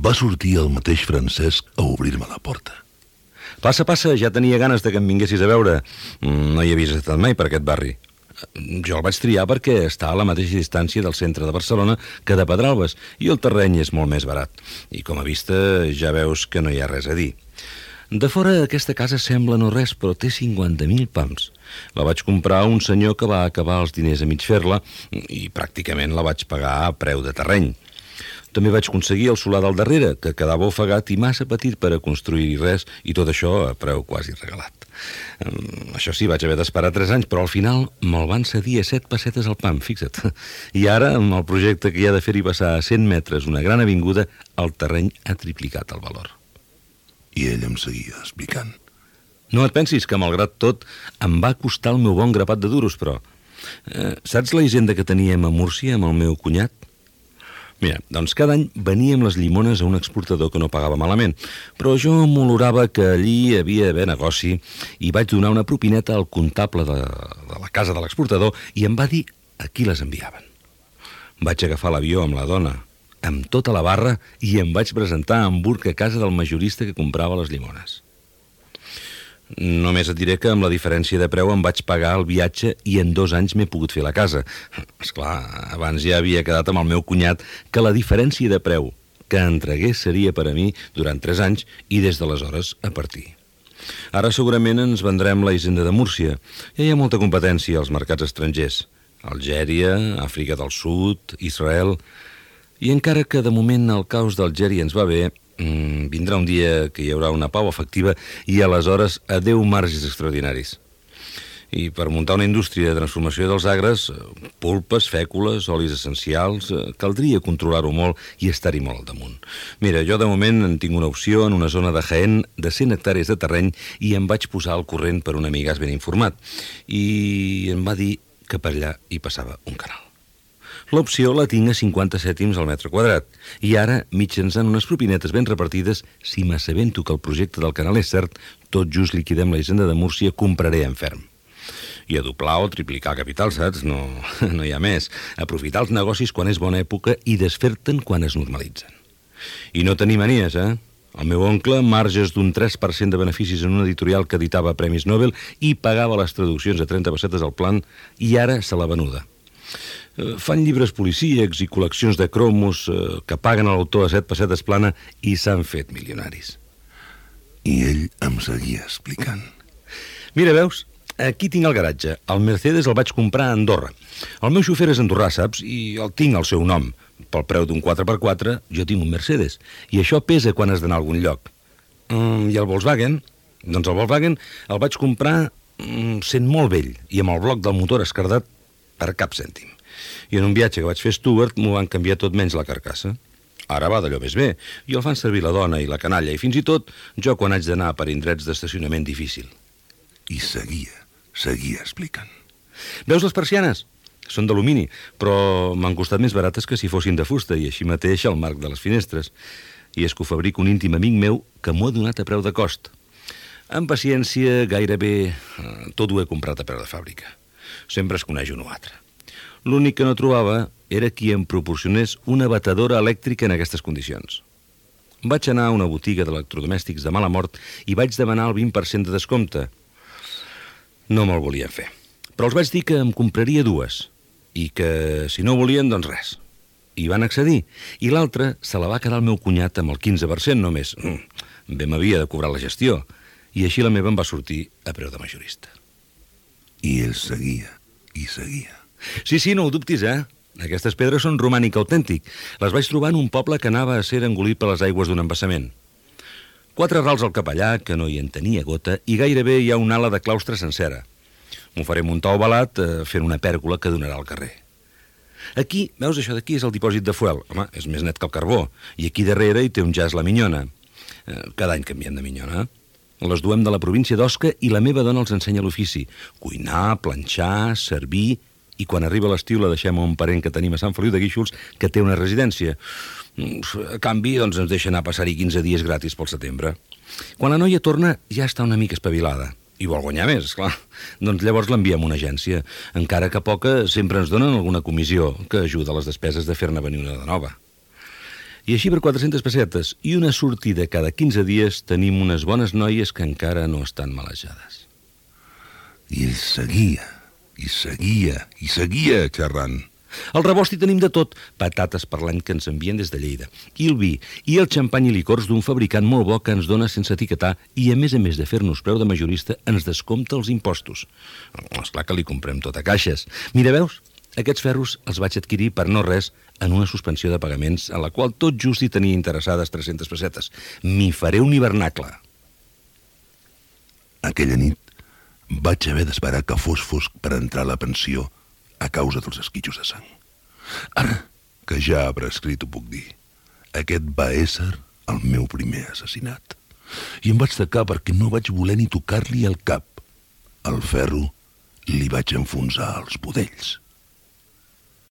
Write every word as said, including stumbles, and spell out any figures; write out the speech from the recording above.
Va sortir el mateix Francesc a obrir-me la porta. Passa, passa, ja tenia ganes de que em vinguessis a veure. No hi havies estat mai per aquest barri. Jo el vaig triar perquè està a la mateixa distància del centre de Barcelona que de Pedralbes i el terreny és molt més barat. I com a vista ja veus que no hi ha res a dir. De fora aquesta casa sembla no res, però té cinquanta mil pams. La vaig comprar a un senyor que va acabar els diners a mig fer-la i pràcticament la vaig pagar a preu de terreny. També vaig aconseguir el solar del darrere, que quedava ofegat i massa petit per a construir-hi res, i tot això a preu quasi regalat. Um, això sí, vaig haver d'esperar tres anys, però al final me'l van cedir a set pessetes al pam, fixa't. I ara, amb el projecte que hi ha de fer-hi passar a cent metres una gran avinguda, el terreny ha triplicat el valor. I ell em seguia explicant. No et pensis que, malgrat tot, em va costar el meu bon grapat de duros, però... Eh, saps la hisenda que teníem a Múrcia amb el meu cunyat? Mira, doncs cada any veníem les llimones a un exportador que no pagava malament, però jo m'olorava que allí havia d'haver negoci i vaig donar una propineta al comptable de, de la casa de l'exportador i em va dir a qui les enviaven. Vaig agafar l'avió amb la dona, amb tota la barra, i em vaig presentar a Hamburg a casa del majorista que comprava les llimones. Només et diré que amb la diferència de preu em vaig pagar el viatge i en dos anys m'he pogut fer la casa. Esclar, abans ja havia quedat amb el meu cunyat que la diferència de preu que entregués seria per a mi durant tres anys i des d'aleshores a partir. Ara segurament ens vendrem la hisenda de Múrcia. Ja hi ha molta competència als mercats estrangers. Algèria, Àfrica del Sud, Israel... I encara que de moment el caos d'Algèria ens va bé, mmm, vindrà un dia que hi haurà una pau efectiva i aleshores adeu marges extraordinaris. I per muntar una indústria de transformació dels agres, pulpes, fècules, olis essencials, caldria controlar-ho molt i estar-hi molt al damunt. Mira, jo de moment en tinc una opció en una zona de Jaén de cent hectàrees de terreny i em vaig posar al corrent per un amigàs ben informat. I em va dir que per allà hi passava un canal. L'opció la tinc a cinquanta cèntims al metre quadrat i ara, mitjançant unes propinetes ben repartides, si m'assabento que el projecte del canal és cert, tot just liquidem la hisenda de Múrcia, compraré en ferm. I a doblar o triplicar capital, saps? No, no hi ha més. Aprofitar els negocis quan és bona època i desfer-te'n quan es normalitzen. I no tenir manies, eh? El meu oncle, marges d'un tres per cent de beneficis en una editorial que editava premis Nobel i pagava les traduccions a trenta pessetes al plan i ara se l'ha venuda. Fan llibres policíacs i col·leccions de cromos eh, que paguen a l'autor a set pessetes plana i s'han fet milionaris. I ell em seguia explicant. Mira, veus? Aquí tinc el garatge. El Mercedes el vaig comprar a Andorra. El meu xofer és andorrà, saps? I el tinc al seu nom. Pel preu d'un quatre per quatre, jo tinc un Mercedes. I això pesa quan has d'anar a algun lloc. Mm, I el Volkswagen? Doncs el Volkswagen el vaig comprar mm, sent molt vell i amb el bloc del motor escardat per cap cèntim. I en un viatge que vaig fer a Stuart m'ho van canviar tot menys la carcassa. Ara va d'allò més bé, i el fan servir la dona i la canalla, i fins i tot jo quan haig d'anar per indrets d'estacionament difícil. I seguia, seguia explicant. Veus les persianes? Són d'alumini, però m'han costat més barates que si fossin de fusta, i així mateix el marc de les finestres. I és que ho fabrica un íntim amic meu que m'ho ha donat a preu de cost. Amb paciència, gairebé tot ho he comprat a preu de fàbrica. Sempre es coneix un o altre. L'únic que no trobava era qui em proporcionés una batedora elèctrica en aquestes condicions. Vaig anar a una botiga d'electrodomèstics de mala mort i vaig demanar el vint per cent de descompte. No me'l volien fer, però els vaig dir que em compraria dues i que si no volien, doncs res. I van accedir, i l'altra se la va quedar el meu cunyat amb el quinze per cent només. Bé m'havia de cobrar la gestió, i així la meva em va sortir a preu de majorista. I ell seguia i seguia. Sí, sí, no ho dubtis, eh? Aquestes pedres són romànic autèntic. Les vaig trobar en un poble que anava a ser engolit per les aigües d'un embassament. Quatre rals al capellà, que no hi en tenia gota, i gairebé hi ha una ala de claustre sencera. M'ho faré muntar ovalat eh, fent una pèrgola que donarà al carrer. Aquí, veus, això d'aquí és el dipòsit de fuel. Home, és més net que el carbó. I aquí darrere hi té un jaç la minyona. Eh, cada any canviem de minyona. Les duem de la província d'Osca i la meva dona els ensenya l'ofici. Cuinar, planxar, servir... I quan arriba l'estiu la deixem a un parent que tenim a Sant Feliu de Guíxols, que té una residència. A canvi, doncs, ens deixa anar a passar-hi quinze dies gratis pel setembre. Quan la noia torna, ja està una mica espavilada. I vol guanyar més, esclar. Doncs llavors l'enviem a una agència. Encara que poca, sempre ens donen alguna comissió que ajuda a les despeses de fer-ne venir una de nova. I així per quatre-centes pessetes i una sortida cada quinze dies tenim unes bones noies que encara no estan malejades. I ell seguia, i seguia, i seguia xerrant. Al rebost hi tenim de tot, patates per l'any que ens envien des de Lleida, i el vi, i el xampany i licors d'un fabricant molt bo que ens dona sense etiquetar i, a més a més de fer-nos preu de majorista, ens descompta els impostos. Esclar que li comprem tot a caixes. Mira, veus? Aquests ferros els vaig adquirir per no res en una suspensió de pagaments a la qual tot just hi tenia interessades tres-centes pessetes. M'hi faré un hivernacle. Aquella nit vaig haver d'esperar que fos fosc per entrar a la pensió a causa dels esquitxos de sang. Ara, que ja ha prescrit, ho puc dir. Aquest va ésser el meu primer assassinat. I em vaig tacar perquè no vaig voler ni tocar-li el cap. El ferro li vaig enfonsar als budells.